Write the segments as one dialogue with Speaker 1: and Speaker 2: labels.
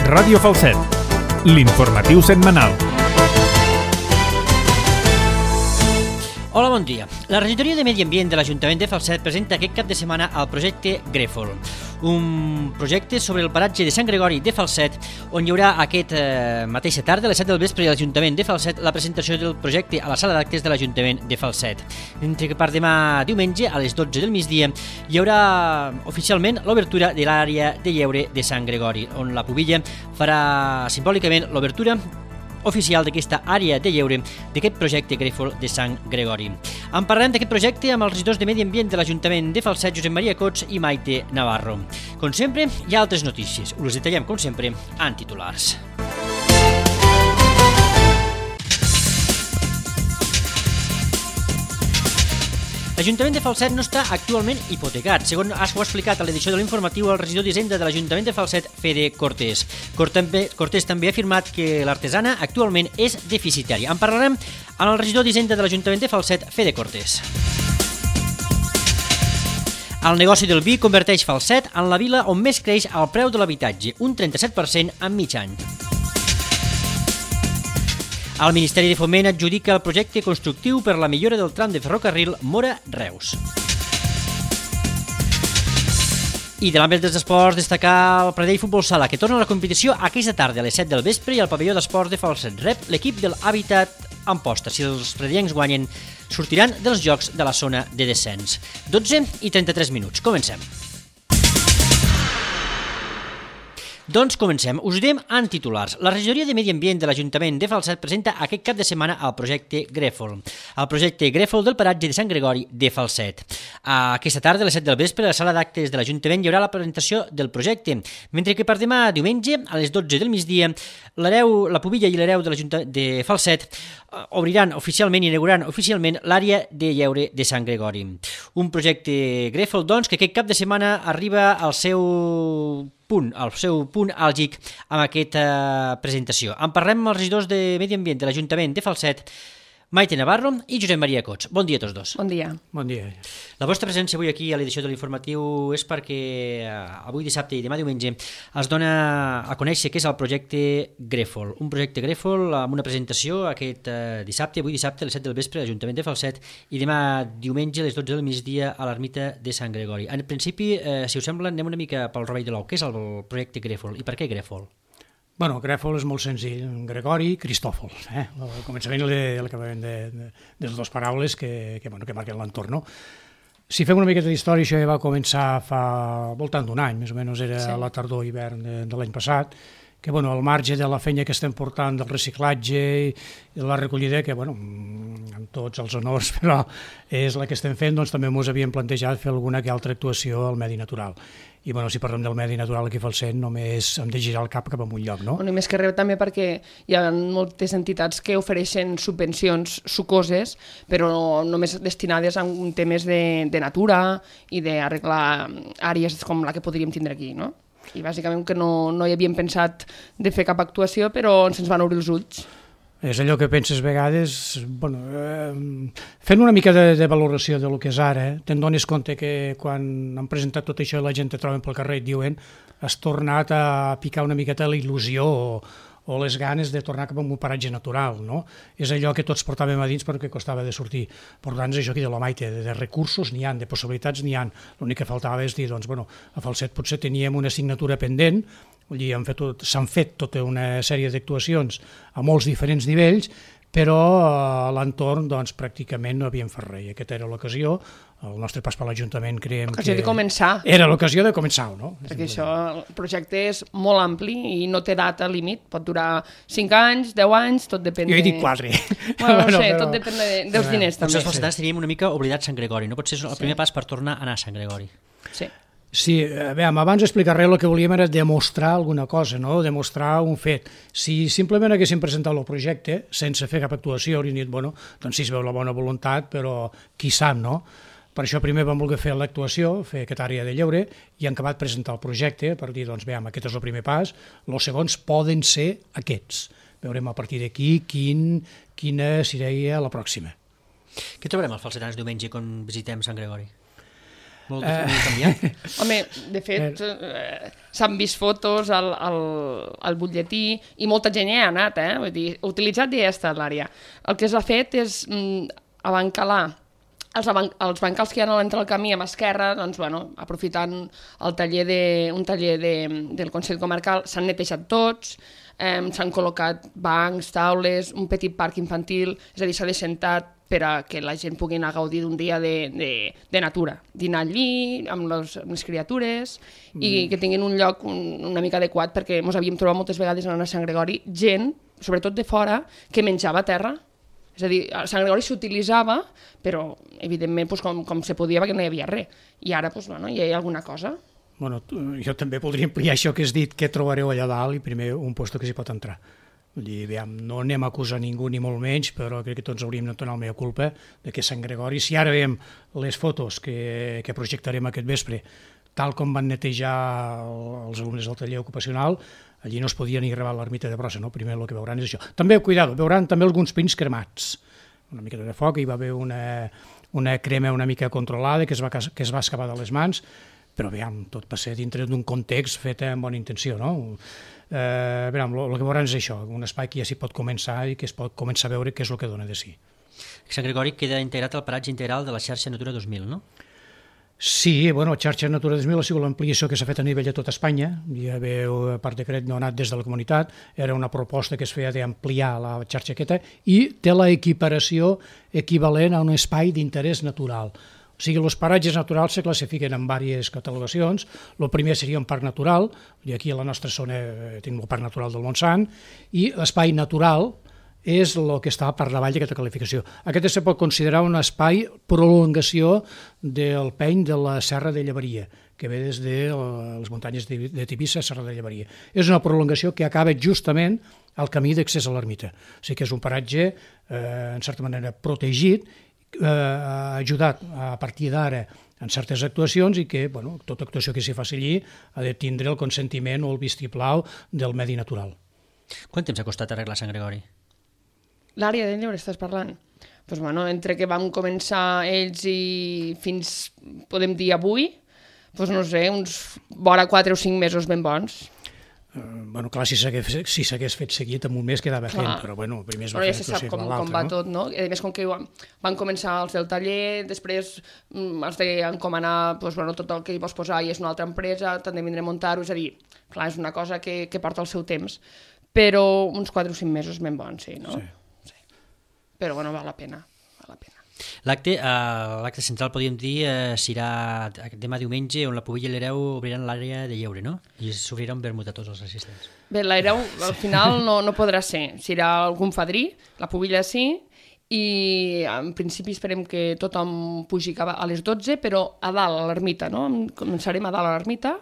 Speaker 1: Ràdio Falset, l'informatiu setmanal.
Speaker 2: Hola, bon dia. La regidoria de Medi Ambient de l'Ajuntament de Falset presenta aquest cap de setmana el projecte Grèfol, un projecte sobre el paratge de Sant Gregori de Falset, on hi haurà mateixa tarda, a les 7 del vespre, a l'Ajuntament de Falset, la presentació del projecte a la sala d'actes de l'Ajuntament de Falset. Mentre que per demà diumenge, a les 12 del migdia, hi haurà oficialment l'obertura de l'àrea de lleure de Sant Gregori, on la Pubilla farà simbòlicament l'obertura oficial d'aquesta àrea de lleure d'aquest projecte Grèfol de Sant Gregori. En parlarem d'aquest projecte amb els regidors de Medi Ambient de l'Ajuntament de Falset, Josep Maria Cots i Maite Navarro. Com sempre, hi ha altres notícies. Us les detallem, com sempre, en titulars. L'Ajuntament de Falset no està actualment hipotecat, segons ho ha explicat a l'edició de l'informatiu el regidor d'Hisenda de l'Ajuntament de Falset, Fede Cortés. Cortés també ha afirmat que l'artesana actualment és deficitària. En parlarem amb el regidor d'Hisenda de l'Ajuntament de Falset, Fede Cortés. El negoci del vi converteix Falset en la vila on més creix el preu de l'habitatge, un 37% en mig any. El Ministeri de Foment adjudica el projecte constructiu per la millora del tram de ferrocarril Móra-Reus. I de l'àmbit dels esports, destacar el Pradell Futbol Sala, que torna a la competició aquesta tarda a les 7 del vespre i al pavelló d'esports de Falset rep l'equip del Hàbitat Amposta. Si els pradellencs guanyen, sortiran dels jocs de la zona de descens. 12 i 33 minuts. Comencem. Doncs comencem. Us direm en titulars. La regidoria de Medi Ambient de l'Ajuntament de Falset presenta aquest cap de setmana el projecte Grèfol. El projecte Grèfol del paratge de Sant Gregori de Falset. Aquesta tarda, a les 7 del vespre, a la sala d'actes de l'Ajuntament hi haurà la presentació del projecte, mentre que per demà diumenge, a les 12 del migdia, la Pubilla i l'Hereu de Falset obriran oficialment i inauguraran oficialment l'àrea de lleure de Sant Gregori. Un projecte Grèfol, doncs, que aquest cap de setmana arriba al seu punt àlgic amb aquesta presentació. En parlem amb els regidors de Medi Ambient de l'Ajuntament de Falset, Maite Navarro i Josep Maria Cots. Bon dia a tots dos.
Speaker 3: Bon dia.
Speaker 4: Bon dia.
Speaker 2: La vostra presència avui aquí a l'edició de l'informatiu és perquè avui dissabte i demà diumenge es dona a conèixer què és el projecte Grèfol. Un projecte Grèfol amb una presentació aquest dissabte, avui dissabte a les 7 del vespre a l'Ajuntament de Falset i demà diumenge a les 12 del migdia a l'ermita de Sant Gregori. En principi, si us sembla, anem una mica pel rovell de l'ou. Què és el projecte Grèfol i per què Grèfol?
Speaker 4: Bueno, Grèfol és molt senzill. Gregori, Cristòfol. El començament i l'acabament de les dues paraules que marquen l'entorn. No? Si fem una miqueta d'història, això ja va començar fa voltant d'un any, més o menys era la tardor-hivern de l'any passat, que al marge de la feina que estem portant del reciclatge i de la recollida, que amb tots els honors, però és la que estem fent, doncs també ens havíem plantejat fer alguna que altra actuació al medi natural. I si parlem del medi natural aquí a Falset només hem de girar el cap cap a un lloc, no?
Speaker 3: I més que res també perquè hi ha moltes entitats que ofereixen subvencions sucoses, però només destinades a temes de natura i d'arreglar àrees com la que podríem tindre aquí, no? I bàsicament que no hi havíem pensat de fer cap actuació, però se'ns van obrir els ulls.
Speaker 4: És allò que penses a vegades, fent una mica de valoració del que és ara, te'n dones compte que quan han presentat tot això la gent te troben pel carrer i et diuen has tornat a picar una miqueta la il·lusió o les ganes de tornar cap a un paratge natural, no? És allò que tots portàvem a dins perquè costava de sortir. Per tant, és això que diu la Maite, de recursos n'hi ha, de possibilitats n'hi ha. L'únic que faltava és dir, a Falset potser teníem una assignatura pendent, s'han fet tota una sèrie d'actuacions a molts diferents nivells, però a l'entorn pràcticament no havíem fet res. Aquesta era l'ocasió, el nostre pas per l'Ajuntament creiem que...
Speaker 3: De començar.
Speaker 4: Era l'ocasió de començar, no?
Speaker 3: Perquè el projecte és molt ampli i no té data límit, pot durar 5 anys, 10 anys, tot depèn de...
Speaker 4: Jo he dit 4.
Speaker 3: Tot depèn dels diners també.
Speaker 2: Potser els falsetans teníem una mica oblidat Sant Gregori, no? Potser és el primer pas per tornar a anar a Sant Gregori.
Speaker 3: Sí.
Speaker 4: Sí, abans d'explicar res, el que volíem era demostrar alguna cosa, no? Demostrar un fet. Si simplement haguéssim presentat el projecte sense fer cap actuació, hauríem dit, doncs sí es veu la bona voluntat, però qui sap, no? Per això primer vam voler fer l'actuació, fer aquesta àrea de lleure, i hem acabat presentar el projecte per dir, aquest és el primer pas, els segons poden ser aquests. Veurem a partir d'aquí quina seria la pròxima.
Speaker 2: Què trobarem als falsetans diumenge quan visitem Sant Gregori? Molt canviat.
Speaker 3: Home, de fet, s'han vist fotos al butlletí i molta gent hi ha anat, vull dir, utilitzat ja ha estat l'àrea. El que s'ha fet és abancalar els bancals que hi ha a l'entrada del camí a mà esquerra, doncs, bueno, aprofitant un taller del Consell Comarcal, s'han netejat tots, s'han col·locat bancs, taules, un petit parc infantil, és a dir, s'ha descentat per a que la gent pugui anar a gaudir d'un dia de natura, dinar allí amb les criatures i que tinguin un lloc una mica adequat, perquè ens havíem trobat moltes vegades anant a Sant Gregori gent, sobretot de fora, que menjava a terra. És a dir, a Sant Gregori s'utilitzava, però evidentment com se podia perquè no hi havia res. I ara hi ha alguna cosa.
Speaker 4: Bueno, jo també podria ampliar això que has dit, què trobareu allà dalt i primer un lloc que s'hi pot entrar. Vull dir, no anem a acusar ningú ni molt menys, però crec que tots hauríem de donar la meva culpa de que Sant Gregori, si ara veiem les fotos que projectarem aquest vespre, tal com van netejar els alumnes del taller ocupacional, allí no es podia ni gravar l'ermita de brossa, no? Primer el que veuran és això. També, cuidado, veuran també alguns pins cremats, una mica de foc, hi va haver una crema una mica controlada que es va escapar de les mans, però veiem, tot va ser dintre d'un context fet amb bona intenció, no? El que veuran és això, un espai que ja s'hi pot començar i que es pot començar a veure què és el que dona de si.
Speaker 2: Sant Gregori queda integrat al paratge integral de la xarxa Natura 2000, no?
Speaker 4: Sí, bueno, la xarxa Natura 2000 ha sigut l'ampliació que s'ha fet a nivell de tot Espanya, ja veu, per decret no ha anat des de la comunitat, era una proposta que es feia d'ampliar la xarxa aquesta i té la equiparació equivalent a un espai d'interès natural. O sigui, els paratges naturals se classifiquen en diverses catalogacions. El primer seria un parc natural, i aquí a la nostra zona tenim el Parc Natural del Montsant, i l'espai natural és el que està per davall d'aquesta qualificació. Aquest se pot considerar un espai prolongació del peny de la Serra de Llevaria, que ve des de les muntanyes de Tivissa a Serra de Llevaria. És una prolongació que acaba justament al camí d'accés a l'ermita. O sigui que és un paratge, en certa manera, protegit, ajudat a partir d'ara en certes actuacions i que tota actuació que s'hi faci allí ha de tindre el consentiment o el vistiplau del medi natural.
Speaker 2: Quant temps ha costat arreglar Sant Gregori?
Speaker 3: L'àrea de lleure estàs parlant? Doncs, entre que vam començar ells i fins, podem dir, avui, doncs no sé, uns vora 4 o 5 mesos ben bons.
Speaker 4: Clar, si s'hagués fet seguit en un mes quedava fent, però primer es va fer
Speaker 3: ja se sap com va tot, no? A més, com que van començar els del taller, després els d'encomanar tot el que hi vols posar i és una altra empresa, t'han de vindre a muntar-ho, és a dir, clar, és una cosa que porta el seu temps, però uns 4 o 5 mesos ben bons, sí, no? Sí. Però, val la pena, val la pena.
Speaker 2: L'acte central, podríem dir, serà demà diumenge, on la Pubilla i l'Hereu obriran l'àrea de lleure, no? I s'obrirà un vermut a tots els assistents.
Speaker 3: Bé, l'Hereu al final no podrà ser. Serà algun fadrí, la Pubilla sí, i en principi esperem que tothom pugi a les 12, però a dalt a l'ermita, no? Començarem a dalt a l'ermita.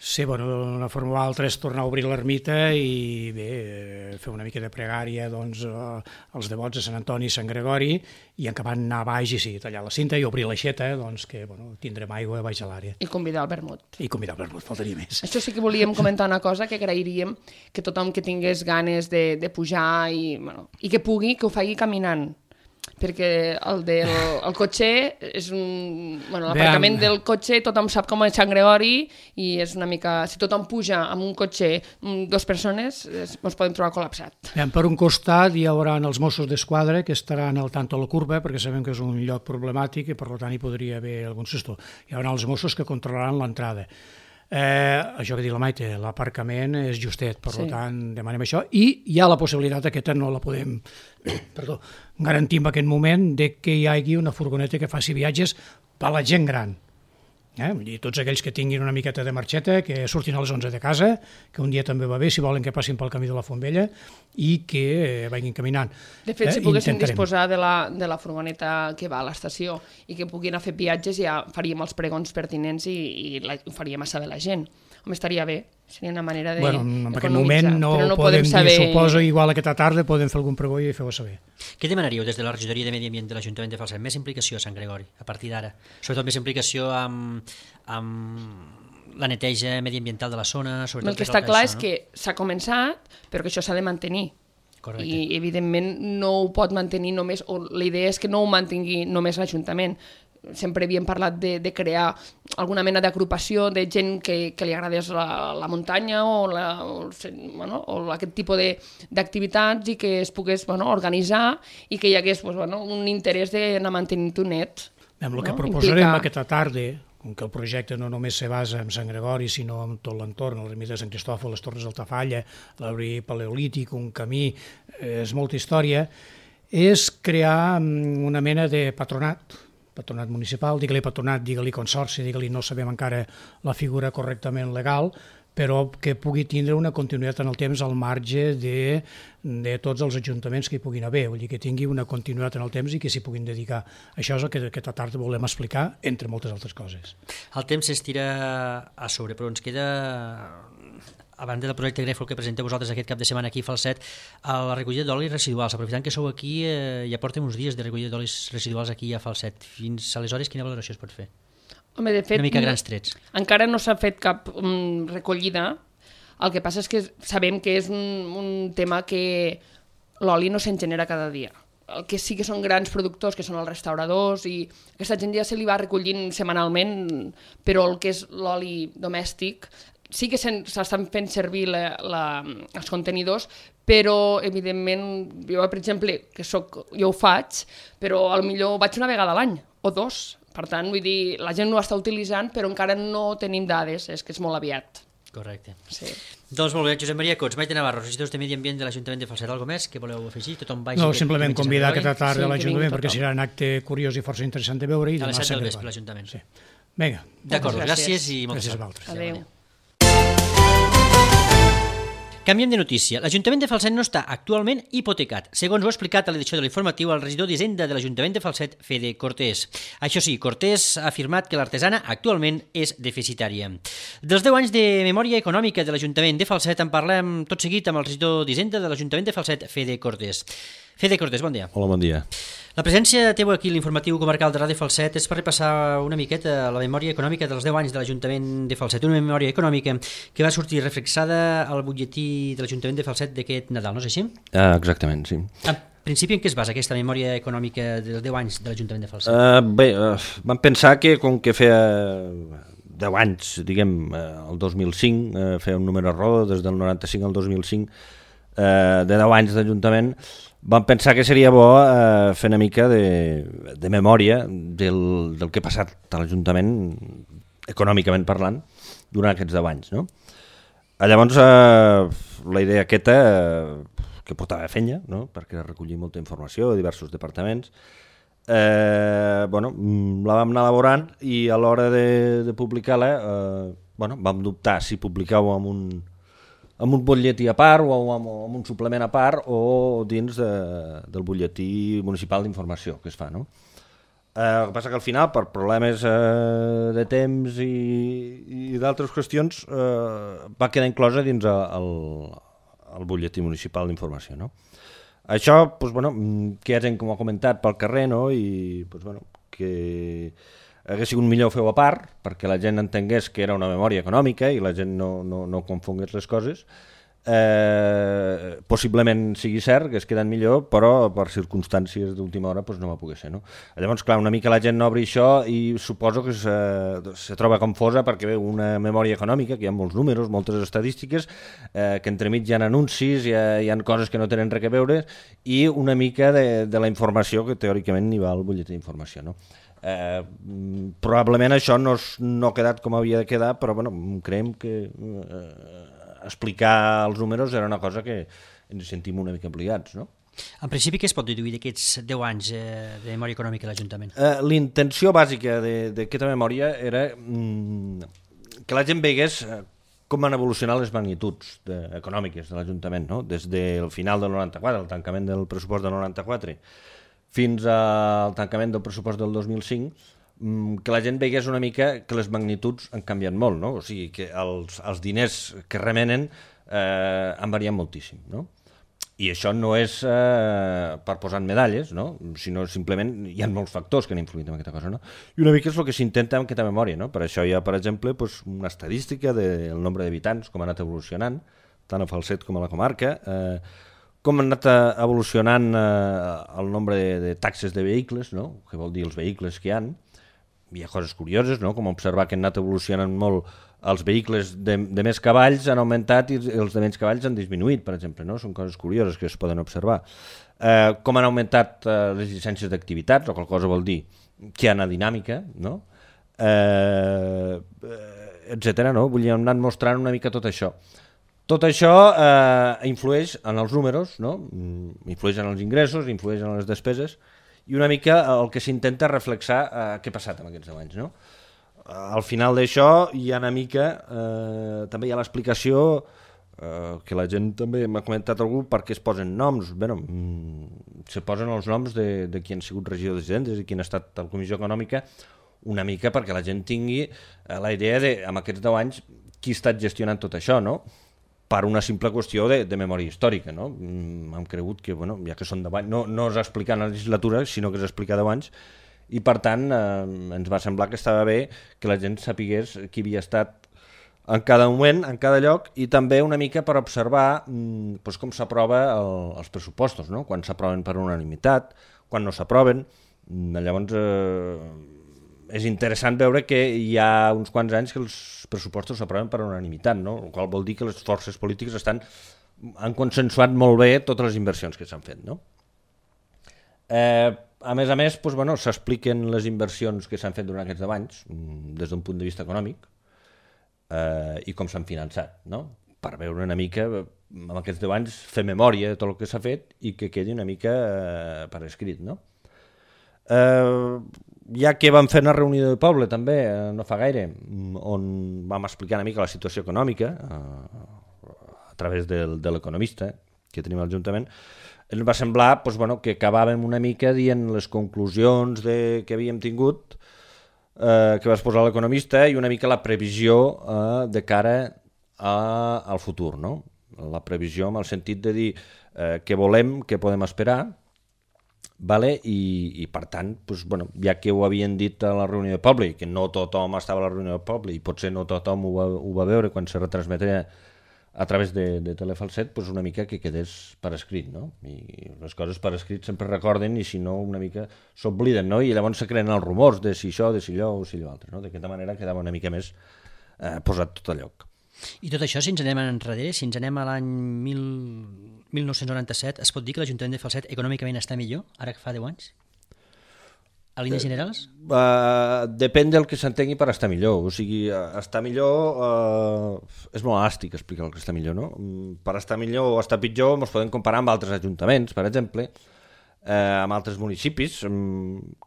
Speaker 4: Sí, d'una forma o altra és tornar a obrir l'ermita i bé, fer una mica de pregària als devots de Sant Antoni i Sant Gregori i acabant anar a baix i tallar la cinta i obrir l'aixeta, que tindrem aigua baix a l'àrea.
Speaker 3: I convidar al vermut.
Speaker 4: I convidar al vermut, faltaria més.
Speaker 3: Això sí que volíem comentar una cosa, que agrairíem que tothom que tingués ganes de pujar i que pugui, que ho faci caminant, perquè el cotxer és l'aparcament del cotxer, tothom sap com és Sant Gregori i és una mica, si tothom puja amb un cotxer 2 persones ens podem trobar col·lapsat.
Speaker 4: Per un costat hi haurà els Mossos d'Esquadra que estaran al tanto a la curva perquè sabem que és un lloc problemàtic i per tant hi podria haver algun susto. Hi haurà els Mossos que controlaran l'entrada. Això que diu la Maite, l'aparcament és justet, per tant demanem això i hi ha la possibilitat, aquesta no la podem garantir en aquest moment, que hi hagi una furgoneta que faci viatges per a la gent gran. I tots aquells que tinguin una miqueta de marxeta, que surtin a les 11 de casa, que un dia també va bé, si volen que passin pel camí de la Fontvella i que vagin caminant.
Speaker 3: De fet, si poguéssim disposar de la furgoneta que va a l'estació i que puguin anar a fer viatges, ja faríem els pregons pertinents i ho faríem a saber la gent. Home, estaria bé, seria una manera d'economitzar.
Speaker 4: En aquest moment no podem dir, suposo, igual aquesta tarda podem fer algun pregó i feu-ho saber.
Speaker 2: Què demanaríeu des de la regidoria de Medi Ambient de l'Ajuntament de Falset? Més implicació a Sant Gregori, a partir d'ara? Sobretot més implicació amb la neteja mediambiental de la zona?
Speaker 3: El que està clar és que s'ha començat, però que això s'ha de mantenir.
Speaker 2: Correcte.
Speaker 3: I, evidentment, no ho pot mantenir només, o la idea és que no ho mantingui només l'Ajuntament. sempre havíem parlat de crear alguna mena d'agrupació de gent que li agradés la muntanya o aquest tipus d'activitats i que es pogués organitzar i que hi hagués un interès d'anar mantenint-ho net.
Speaker 4: El que proposarem aquesta tarda, com que el projecte no només se basa en Sant Gregori, sinó en tot l'entorn, l'ermita de Sant Cristòfol, les Torres d'Altafalla, l'arbre paleolític, un camí, és molta història, és crear una mena de patronat municipal, digue-li patronat, digue-li consorci, digue-li no sabem encara la figura correctament legal, però que pugui tindre una continuïtat en el temps al marge de tots els ajuntaments que hi puguin haver, vull dir que tingui una continuïtat en el temps i que s'hi puguin dedicar. Això és el que aquesta tarda volem explicar, entre moltes altres coses.
Speaker 2: El temps s'estira a sobre, però ens queda, a banda del projecte Grèfol que presenteu vosaltres aquest cap de setmana aquí a Falset, a la recollida d'olis residuals. Aprofitant que sou aquí, ja portem uns dies de recollida d'olis residuals aquí a Falset. Fins aleshores, quina valoració es pot fer?
Speaker 3: Home, de fet,
Speaker 2: una mica grans trets.
Speaker 3: Encara no s'ha fet cap recollida. El que passa és que sabem que és un tema que l'oli no se'n genera cada dia. El que sí que són grans productors, que són els restauradors, i aquesta gent ja se li va recollint setmanalment, però el que és l'oli domèstic sí que s'estan fent servir els contenidors, però evidentment, jo per exemple, jo ho faig, però potser vaig una vegada a l'any o dos. Per tant, vull dir, la gent ho està utilitzant, però encara no tenim dades, és que és molt aviat.
Speaker 2: Correcte.
Speaker 3: Sí.
Speaker 2: Doncs molt bé, Josep Maria Cots, Maite Navarro, regidors de Medi Ambient de l'Ajuntament de Falset. Algo més que voleu afegir? Tothom vagi...
Speaker 4: No, simplement convidar aquesta tarda a l'Ajuntament perquè serà un acte curiós i força interessant de veure.
Speaker 2: A les 7 del vespre a l'Ajuntament.
Speaker 4: Sí. Vinga.
Speaker 2: D'acord, gràcies i moltes
Speaker 4: gràcies.
Speaker 3: Adéu.
Speaker 2: Canviem de notícia. L'Ajuntament de Falset no està actualment hipotecat, segons ho ha explicat a l'edició de l'informatiu el regidor d'Hisenda de l'Ajuntament de Falset, Fede Cortés. Això sí, Cortés ha afirmat que l'artesana actualment és deficitària. Dels 10 anys de memòria econòmica de l'Ajuntament de Falset en parlem tot seguit amb el regidor d'Hisenda de l'Ajuntament de Falset, Fede Cortés. Fede Cortés, bon dia.
Speaker 5: Hola, bon dia.
Speaker 2: La presència teva aquí a l'informatiu comarcal de Ràdio Falset és per repassar una miqueta la memòria econòmica dels 10 anys de l'Ajuntament de Falset, una memòria econòmica que va sortir reflexada al butlletí de l'Ajuntament de Falset d'aquest Nadal, no és així?
Speaker 5: Exactament, sí.
Speaker 2: En principi, en què es basa aquesta memòria econòmica dels 10 anys de l'Ajuntament de Falset?
Speaker 5: Vam pensar que com que feia 10 anys, diguem, el 2005, feia un número rodó des del 95 al 2005, de 10 anys d'Ajuntament, vam pensar que seria bo fer una mica de memòria del que ha passat a l'Ajuntament, econòmicament parlant, durant aquests 10 anys. No? Llavors, la idea aquesta, que portava fenya, no? Perquè recollia molta informació de diversos departaments, la vam anar elaborant i a l'hora de publicar-la vam dubtar si publicar-ho amb un butlletí a part o amb un suplement a part o dins del butlletí municipal d'informació que es fa, no? El que passa que al final, per problemes de temps i d'altres qüestions, va quedar inclosa dins el butlletí municipal d'informació, no? Això, que hi ha gent que m'ho ha comentat pel carrer, no? I que hagués sigut millor fer-ho a part, perquè la gent entengués que era una memòria econòmica i la gent no confongués les coses. Possiblement sigui cert que es queden millor, però per circumstàncies d'última hora no va poder ser. No? Llavors, clar, una mica la gent no obri això i suposo que se troba confosa perquè veu una memòria econòmica, que hi ha molts números, moltes estadístiques, que entremig hi ha anuncis, hi ha coses que no tenen res a veure, i una mica de la informació que teòricament hi va al butlletí d'informació, no? Probablement això no ha quedat com havia de quedar, però creiem que explicar els números era una cosa que ens sentim una mica obligats, no?
Speaker 2: En principi, què es pot deduir d'aquests 10 anys de memòria econòmica de l'Ajuntament?
Speaker 5: L'intenció bàsica d'aquesta memòria era que la gent veigués com van evolucionar les magnituds econòmiques de l'Ajuntament, no? Des del final del 94, el tancament del pressupost del 94, fins al tancament del pressupost del 2005, que la gent veigués una mica que les magnituds han canviat molt, no? O sigui, que els diners que remenen han variat moltíssim, no? I això no és per posar medalles, no? Sinó simplement hi ha molts factors que han influït en aquesta cosa, no? I una mica és el que s'intenta amb aquesta memòria, no? Per això hi ha, per exemple, una estadística del nombre d'habitants, com ha anat evolucionant, tant a Falset com a la comarca, com ha anat evolucionant el nombre de taxes de vehicles, no? Que vol dir els vehicles que hi ha, hi ha coses curioses, no? Com observar que han anat evolucionant molt els vehicles de més cavalls han augmentat i els de menys cavalls han disminuït, per exemple, no? Són coses curioses que es poden observar. Com han augmentat les llicències d'activitats, o qual cosa vol dir que hi ha una dinàmica, no? Etcètera, no? Vull dir, hem anat mostrant una mica tot això. Tot això influeix en els números, no? Influeix en els ingressos, influeix en les despeses, i una mica el que s'intenta reflexar què ha passat en aquests 10 anys, no? Al final d'això hi ha una mica, també hi ha l'explicació que la gent també m'ha comentat algú per què es posen noms. Bé, se posen els noms de qui han sigut regidors d'Hisendes i qui ha estat a la Comissió Econòmica, una mica perquè la gent tingui la idea de, amb aquests 10 anys, qui ha estat gestionant tot això, no? Per una simple qüestió de memòria històrica, no? Hem cregut que, bueno, ja que són 10 anys, no és explicar en la legislatura, sinó que és explicar 10 anys, i per tant ens va semblar que estava bé que la gent sapigués qui havia estat en cada moment, en cada lloc, i també una mica per observar doncs, com s'aprova els pressupostos, no? Quan s'aproven per unanimitat, quan no s'aproven. Llavors és interessant veure que hi ha uns quants anys que els pressupostos s'aproven per unanimitat, no? El qual vol dir que les forces polítiques han consensuat molt bé totes les inversions que s'han fet, no? A més, doncs, bueno, s'expliquen les inversions que s'han fet durant aquests 10 anys des d'un punt de vista econòmic i com s'han finançat, no? Per veure una mica, amb aquests 10 anys, fer memòria de tot el que s'ha fet i que quedi una mica per escrit, no? Ja que vam fer una reunió de poble també, no fa gaire, on vam explicar una mica la situació econòmica a través de l'economista que tenim a l'Ajuntament, ens va semblar doncs, bueno, que acabàvem una mica dient les conclusions que havíem tingut, que va exposar l'economista, i una mica la previsió de cara al futur, no? La previsió en el sentit de dir què volem, què podem esperar, vale? I per tant, doncs, bueno, ja que ho havien dit a la reunió de poble, i que no tothom estava a la reunió de poble, i potser no tothom ho va veure quan se retransmetia a través de Telefalset, doncs una mica que quedés per escrit, no? I les coses per escrit sempre recorden i si no una mica s'obliden, no? I llavors se creen els rumors de si això, de si allò o si allò altre, no? D'aquesta manera quedava una mica més posat tot a lloc.
Speaker 2: I tot això, si ens anem enrere, si ens anem a l'any 1997, es pot dir que l'Ajuntament de Falset econòmicament està millor, ara que fa 10 anys? A línies generals?
Speaker 5: Depèn del que s'entengui per estar millor. O sigui, estar millor és molt elàstic explicar el que està millor, no? Per estar millor o estar pitjor ens podem comparar amb altres ajuntaments, per exemple, amb altres municipis.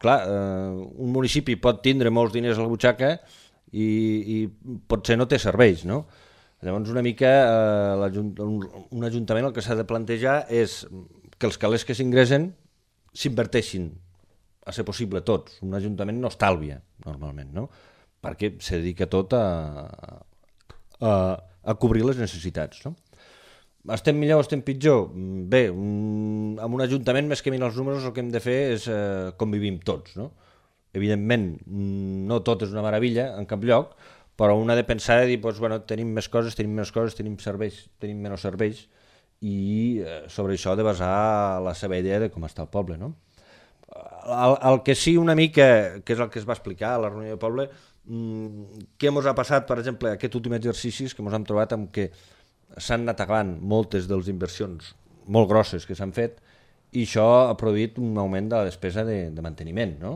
Speaker 5: Clar, un municipi pot tindre molts diners a la butxaca i potser no té serveis, no? Llavors una mica un ajuntament el que s'ha de plantejar és que els calés que s'ingressen s'inverteixin a ser possible tots. Un ajuntament no estalvia normalment, no? Perquè se dedica tot a cobrir les necessitats, no? Estem millor o estem pitjor? Bé, amb un ajuntament més que mirar els números el que hem de fer és com vivim tots, no? Evidentment, no tot és una meravella en cap lloc, però un ha de pensar i dir, doncs, bueno, tenim més coses, tenim serveis, tenim menys serveis, i sobre això ha de basar la seva idea de com està el poble, no? El que sí una mica, que és el que es va explicar a la reunió de poble, què ens ha passat, per exemple, aquest últim exercici que ens hem trobat amb que s'han anat acabant moltes de les inversions molt grosses que s'han fet i això ha produït un augment de la despesa de manteniment, no?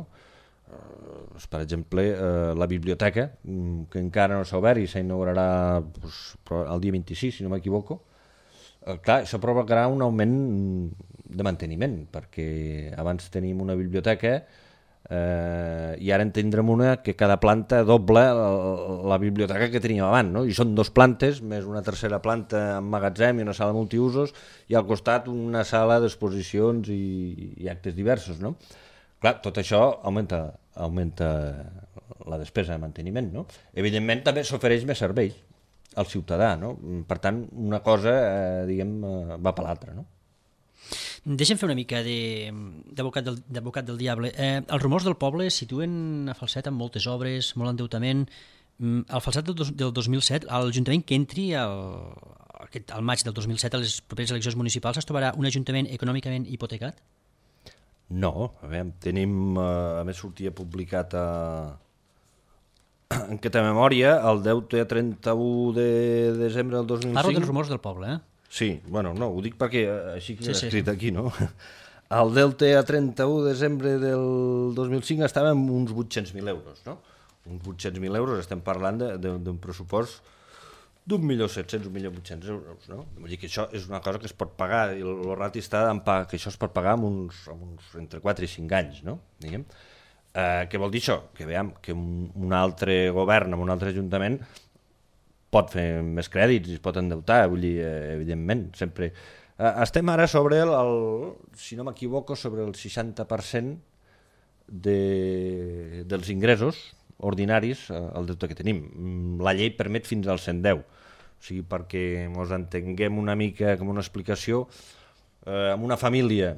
Speaker 5: Per exemple, la biblioteca, que encara no s'ha obert i s'inaugurarà el dia 26, si no m'equivoco. Clar, això provocarà un augment de manteniment, perquè abans tenim una biblioteca i ara en tindrem una que cada planta doble la biblioteca que teníem abans, no? I són 2 plantes, més una tercera planta amb magatzem i una sala multiusos, i al costat una sala d'exposicions i actes diversos, no? Clar, tot això augmenta la despesa de manteniment, no? Evidentment també s'ofereix més serveis al ciutadà, no? Per tant, una cosa, va per l'altra, no?
Speaker 2: Deixem fer una mica d'advocat del diable. Els rumors del poble situen a Falset amb moltes obres, molt endeutament. Al Falset del 2007, l'Ajuntament que entri al maig del 2007 a les properes eleccions municipals es trobarà un ajuntament econòmicament hipotecat?
Speaker 5: No, a veure, tenim, a més sortia publicat en què té memòria, el deute a 31 de desembre del 2005...
Speaker 2: Parlo dels rumors del poble,
Speaker 5: Sí, bueno, no, ho dic perquè així que l'he escrit aquí, no? El deute a 31 de desembre del 2005 estava en uns 800.000 euros, no? Uns 800.000 euros, estem parlant d'un pressupost d'1.700.000, 1.800.000 euros, no? Vull dir que això és una cosa que es pot pagar, i el rati està que això es pot pagar en uns entre 4 i 5 anys, no? Diguem. Què vol dir això? Que veiem que un altre govern, amb un altre ajuntament, pot fer més crèdits i es pot endeutar, vull dir, evidentment, sempre. Estem ara sobre si no m'equivoco, sobre el 60% dels ingressos ordinaris, el deute que tenim. La llei permet fins al 110, o sigui, perquè ens entenguem una mica com una explicació, amb una família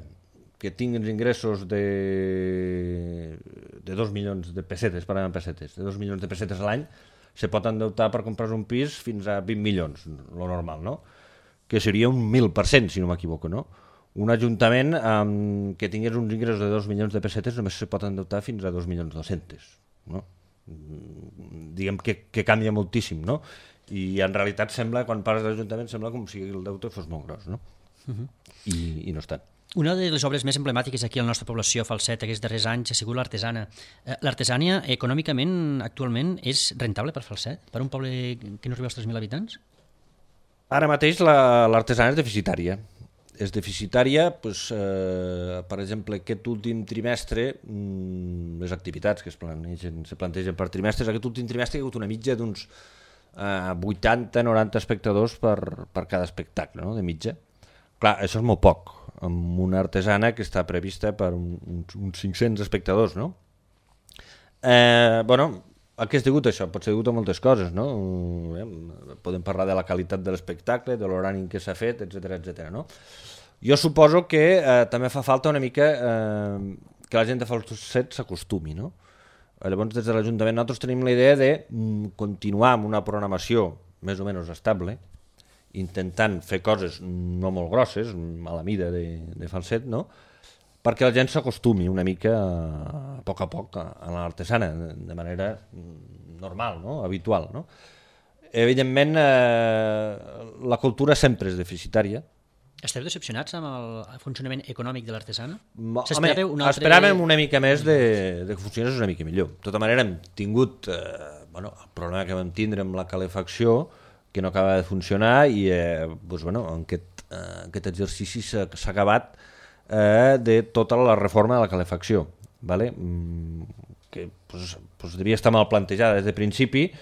Speaker 5: que tingui els ingressos de 2 milions de pessetes, parlem en pessetes, de 2 milions de pessetes a l'any, se pot endeutar per comprar un pis fins a 20 milions, lo normal, no? Que seria un 1.000%, si no m'equivoco, no? Un ajuntament que tingués uns ingressos de 2 milions de pessetes només se pot endeutar fins a 2.200.000, no? Diguem que canvia moltíssim, no? I en realitat sembla, quan parles d'Ajuntament, sembla com si el deute fos molt gros, no? I no és tant.
Speaker 2: Una de les obres més emblemàtiques aquí a la nostra població, Falset, aquests darrers anys, ha sigut l'artesana. L'artesania, econòmicament, actualment, és rentable per Falset? Per un poble que no arriba als 3.000 habitants?
Speaker 5: Ara mateix l'artesana és deficitària. És deficitària, doncs, per exemple, aquest últim trimestre, les activitats que se plantegen per trimestres, aquest últim trimestre hi ha hagut una mitja d'uns 80-90 espectadors per cada espectacle, no?, de mitja. Clar, això és molt poc, amb una artesana que està prevista per uns 500 espectadors, no? Bueno, a què és degut això? Pot ser degut a moltes coses, no? Podem parlar de la qualitat de l'espectacle, de l'horari en què s'ha fet, etc., no? Jo suposo que també fa falta una mica que la gent de Falset s'acostumi, no? Llavors, des de l'Ajuntament nosaltres tenim la idea de continuar amb una programació més o menys estable, intentant fer coses no molt grosses, a la mida de Falset, no? Perquè la gent s'acostumi una mica a poc a l'artesana, de manera normal, no?, habitual, no? Evidentment, la cultura sempre és deficitària.
Speaker 2: Esteu decepcionats amb el funcionament econòmic de l'artesana?
Speaker 5: Esperàvem una mica més de que funcionés una mica millor. De tota manera, hem tingut el problema que vam tindre amb la calefacció, que no acaba de funcionar, i aquest exercici s'ha acabat de tota la reforma de la calefacció, ¿vale? Que devia estar mal plantejada des de principi,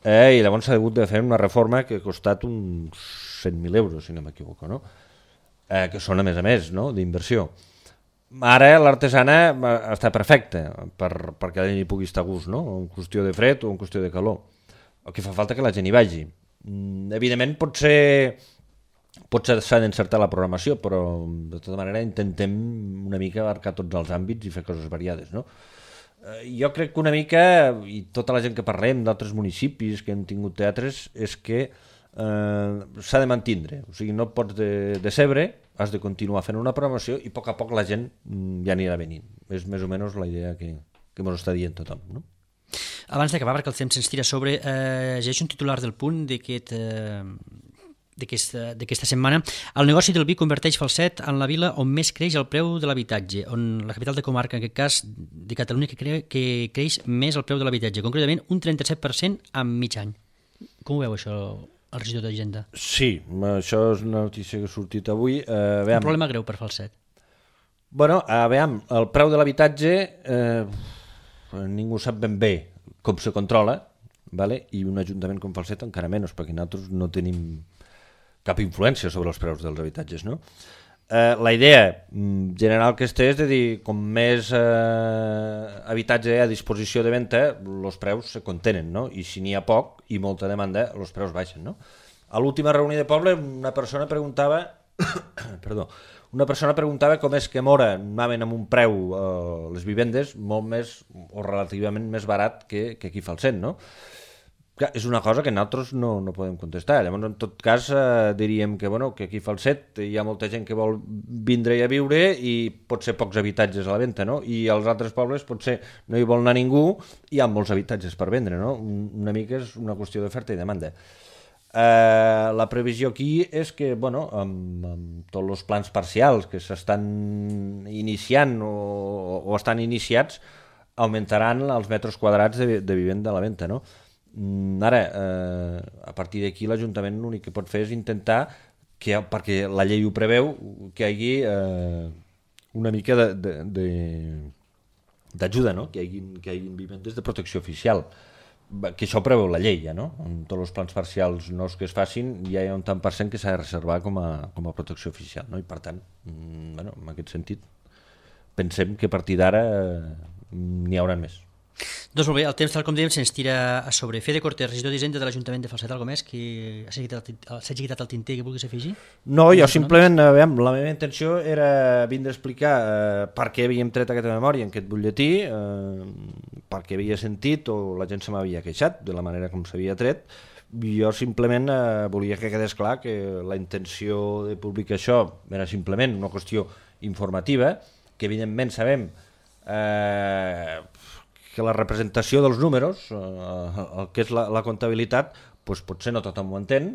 Speaker 5: i llavors s'ha hagut de fer una reforma que ha costat uns 100.000 euros, si no m'equivoco, no? Que són a més, no?, d'inversió. Ara l'artesana està perfecta perquè la gent hi pugui estar a gust, no?, en qüestió de fred o en qüestió de calor. El que fa falta que la gent hi vagi. Evidentment potser s'ha d'encertar la programació, però de tota manera intentem una mica abarcar tots els àmbits i fer coses variades, no? Jo crec que una mica, i tota la gent que parlem d'altres municipis que han tingut teatres, és que s'ha de mantindre, o sigui, no pots decebre, has de continuar fent una programació i a poc la gent ja anirà venint. És més o menys la idea que ens està dient tothom, no?
Speaker 2: Abans d'acabar, perquè el temps se'ns tira sobre, llegeixo un titular del Punt d'aquesta setmana. El negoci del vi converteix Falset en la vila on més creix el preu de l'habitatge, on la capital de comarca, en aquest cas de Catalunya, que creix més el preu de l'habitatge, concretament un 37% en mig any. Com ho veu això, el regidor d'Hisenda?
Speaker 5: Sí, això és una notícia que ha sortit avui.
Speaker 2: Un problema greu per Falset.
Speaker 5: Bueno, veiem, el preu de l'habitatge ningú sap ben bé com se controla, vale? I un ajuntament com Falset encara menys, perquè nosaltres no tenim cap influència sobre els preus dels habitatges, no? La idea general que és de dir, com més habitatge hi ha a disposició de venda, els preus se contenen, no? I si n'hi ha poc i molta demanda, els preus baixen, no? A l'última reunió de poble una persona preguntava com és que a Mora anaven amb un preu les vivendes molt més o relativament més barat que aquí a Falset, no? Clar, és una cosa que nosaltres no podem contestar. Llavors, en tot cas, diríem que, que aquí a Falset hi ha molta gent que vol vindre a viure i potser pocs habitatges a la venda, no? I als altres pobles potser no hi vol anar ningú i hi ha molts habitatges per vendre, no? Una mica és una qüestió d'oferta i demanda. La previsió aquí és que, amb tots els plans parcials que s'estan iniciant o estan iniciats, augmentaran els metres quadrats de vivenda a la venda, no? Ara, a partir d'aquí l'Ajuntament l'únic que pot fer és intentar, perquè la llei ho preveu, que hi hagi una mica d'ajuda, no? Que hi hagin vivendes de protecció oficial, que això preveu la llei, ja, no? En tots els plans parcials nous que es facin ja hi ha un tant per cent que s'ha de reservar com a protecció oficial, no? I per tant, en aquest sentit, pensem que a partir d'ara n'hi haurà més.
Speaker 2: Doncs molt bé, el temps, tal com dèiem, se'ns tira a sobre. Fede Cortés, regidor d'Hisenda de l'Ajuntament de Falset, alguna més que s'hagi quitat el tinter que vulguis afegir?
Speaker 5: No, jo simplement, la meva intenció era vindre a explicar per què havíem tret aquesta memòria en aquest butlletí, perquè havia sentit o la gent se m'havia queixat de la manera com s'havia tret. Jo simplement volia que quedés clar que la intenció de publicar això era simplement una qüestió informativa, que evidentment sabem que la representació dels números, el que és la comptabilitat, potser no tothom ho entén,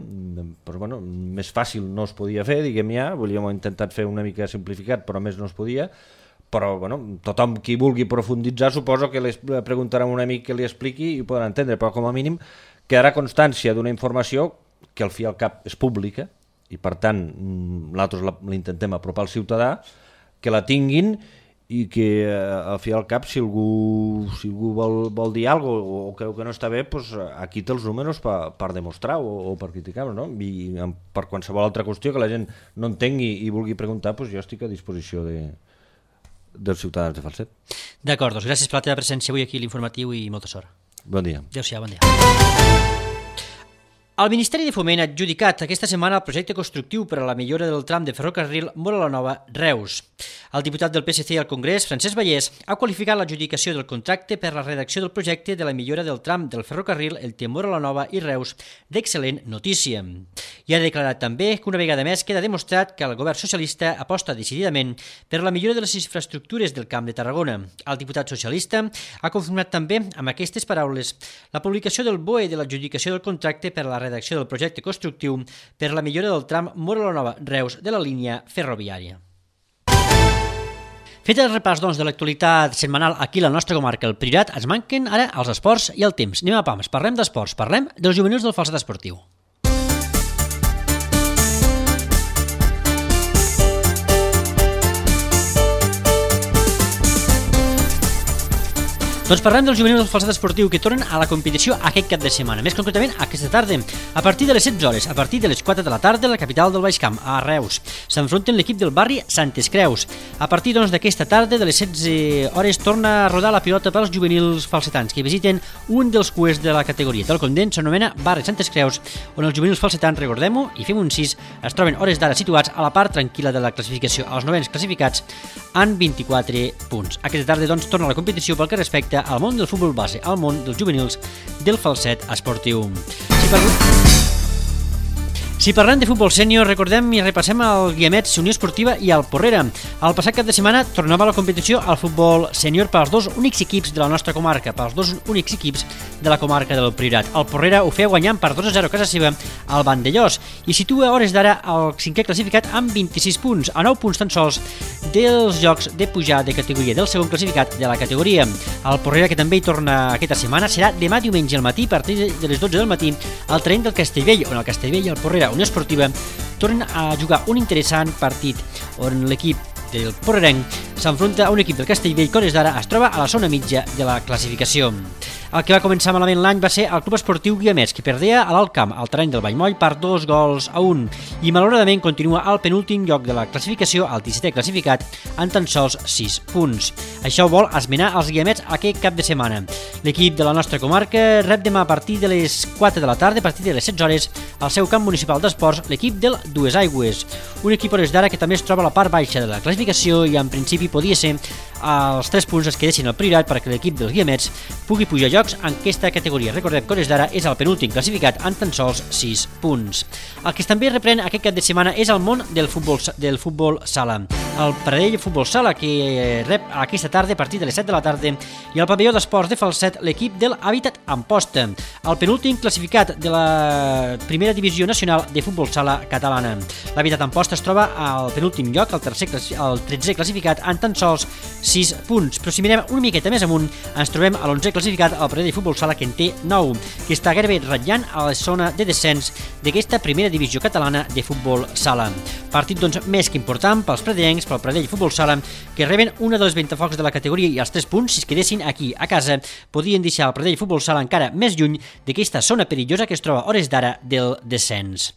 Speaker 5: però més fàcil no es podia fer, diguem ja, volíem intentat fer una mica simplificat, però més no es podia, però tothom qui vulgui profunditzar suposo que li preguntarà a un amic que li expliqui i ho podrà entendre, però com a mínim quedarà constància d'una informació que al fi i al cap és pública i per tant nosaltres l'intentem apropar al ciutadà, que la tinguin i que al fi i al cap si algú vol dir alguna cosa o creu que no està bé, aquí té els números per demostrar o per criticar-los, no? I per qualsevol altra qüestió que la gent no entengui i vulgui preguntar, jo estic a disposició dels ciutadans de Falset.
Speaker 2: D'acord, doncs gràcies per la teva presència avui aquí a l'Informatiu i molta sort.
Speaker 5: Bon dia.
Speaker 2: Adéu-siau, bon dia. El Ministeri de Foment ha adjudicat aquesta setmana el projecte constructiu per a la millora del tram de ferrocarril Móra la Nova-Reus. El diputat del PSC al Congrés, Francesc Vallès, ha qualificat l'adjudicació del contracte per la redacció del projecte de la millora del tram del ferrocarril entre Móra la Nova i Reus d'excel·lent notícia. I ha declarat també que una vegada més queda demostrat que el govern socialista aposta decididament per la millora de les infraestructures del Camp de Tarragona. El diputat socialista ha confirmat també amb aquestes paraules la publicació del BOE de l'adjudicació del contracte per a la redacció del projecte constructiu per la millora del tram Móra la Nova-Reus de la línia ferroviària. Fet el repàs de l'actualitat setmanal aquí a la nostra comarca, el Priorat, ens manquen ara els esports i el temps. Anem a pams, parlem d'esports, parlem dels juvenils del Falset Esportiu. Doncs parlem dels juvenils del Falset Esportiu que tornen a la competició aquest cap de setmana, més concretament aquesta tarda, a partir de les 16 hores, a partir de les 4 de la tarda a la capital del Baix Camp, a Reus. S'enfronten l'equip del barri Santes Creus. A partir d'aquesta tarda, de les 16 hores, torna a rodar la pilota pels juvenils falsetans que visiten un dels cuers de la categoria. Tal com deien, s'anomena barri Santes Creus, on els juvenils falsetans, recordem-ho, i fem un 6, es troben hores d'ara situats a la part tranquil·la de la classificació, als 9ens classificats en 24 punts. Aquesta tarda, doncs, torna a la competició pel que respecta al món del futbol base, al món dels juvenils del Falset Esportiu. Si parlem de futbol sènior, recordem i repassem el Guiamets, Unió Esportiva i el Porrera. El passat cap de setmana tornava a la competició al futbol sènior pels dos únics equips de la nostra comarca, pels dos únics equips de la comarca del Priorat. El Porrera ho feia guanyant per 2-0 a casa seva al Vandellós i situa a hores d'ara el cinquè classificat amb 26 punts, a 9 punts tan sols dels jocs de pujar de categoria, del segon classificat de la categoria. El Porrera, que també hi torna aquesta setmana, serà demà diumenge al matí, a partir de les 12 del matí, al terreny del Castellvell, on el Castellvell i el Porrera Unió Esportiva tornen a jugar un interessant partit on l'equip del Porrerenc s'enfronta a un equip del Castellvell que a hores d'ara es troba a la zona mitja de la classificació. El que va començar malament l'any va ser el Club Esportiu Guiamets, que perdia a l'Alt Camp, al terreny del Vallmoll, per 2-1, i malauradament continua al penúltim lloc de la classificació, el 17è classificat, en tan sols 6 punts. Això vol esmenar els Guiamets aquest cap de setmana. L'equip de la nostra comarca rep demà a partir de les 4 de la tarda, a partir de les 16 hores, al seu camp municipal d'esports, l'equip del Dues Aigües, un equip a hores d'ara que també es troba a la part baixa de la classificació i en principi podia ser els 3 punts es quedessin al Priorat perquè l'equip dels Guiamets pugui pujar jocs en aquesta categoria. Recordem que Hores d'Ara és el penúltim classificat amb tan sols 6 punts. El que també reprèn aquest cap de setmana és el món del futbol sala. El Pradell Futbol Sala, que rep aquesta tarda a partir de les 7 de la tarda, i el pavelló d'esports de Falset l'equip del Hàbitat Amposta, el penúltim classificat de la primera divisió nacional de futbol sala catalana. L'Hàbitat Amposta es troba al penúltim lloc, el 13è classificat, amb tan sols 6 punts. Però si mirem una miqueta més amunt, ens trobem a l'11è classificat, el Pradell Futbol Sala, que en té 9, que està gairebé ratllant a la zona de descens d'aquesta primera divisió catalana de futbol sala. Partit, doncs, més que important pels pradellencs, pel Pradell Futbol Sala, que reben una dels ventafocs de la categoria, i els 3 punts, si es quedessin aquí a casa, podrien deixar el Pradell Futbol Sala encara més lluny d'aquesta zona perillosa que es troba a hores d'ara del descens.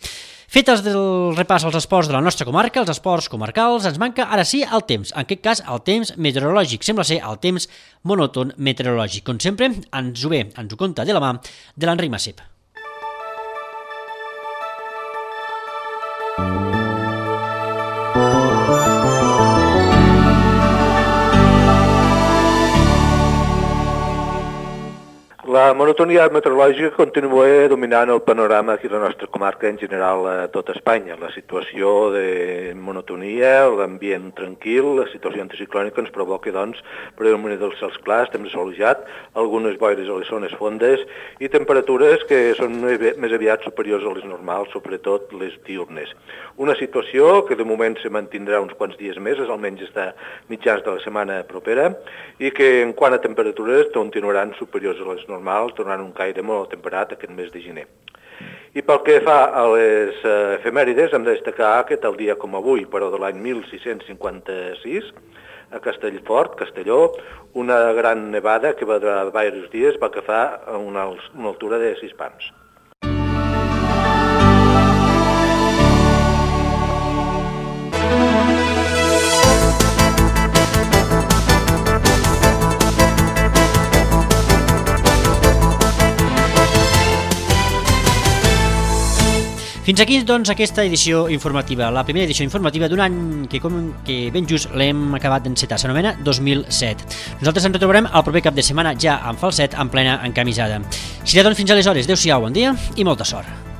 Speaker 2: Fet el repàs als esports de la nostra comarca, els esports comarcals, ens manca ara sí el temps, en aquest cas el temps meteorològic, sembla ser el temps monòton meteorològic. Com sempre, ens ho conta de la mà de l'Enric Massip.
Speaker 6: La monotonia meteorològica continua dominant el panorama aquí a la nostra comarca, en general a tot Espanya. La situació de monotonia, l'ambient tranquil, la situació anticiclònica ens provoca, doncs, predomini dels cels clars, temps assolellat, algunes boires a les zones fondes i temperatures que són més aviat superiors a les normals, sobretot les diurnes. Una situació que de moment se mantindrà uns quants dies més, almenys està mitjans de la setmana propera, i que en quant a temperatures continuaran superiors a les normals, tornant un caire molt temperat aquest mes de gener. I pel que fa a les efemèrides, hem de destacar que tal dia com avui, però de l'any 1656, a Castellfort, Castelló, una gran nevada que va durar diversos dies va agafar una altura de 6 pams.
Speaker 2: Fins aquí, doncs, aquesta edició informativa, la primera edició informativa d'un any que ben just l'hem acabat d'encetar, s'anomena 2007. Nosaltres ens retrobarem el proper cap de setmana ja amb Falset en plena encamisada. Serà, doncs, fins aleshores. Adéu-siau, bon dia i molta sort.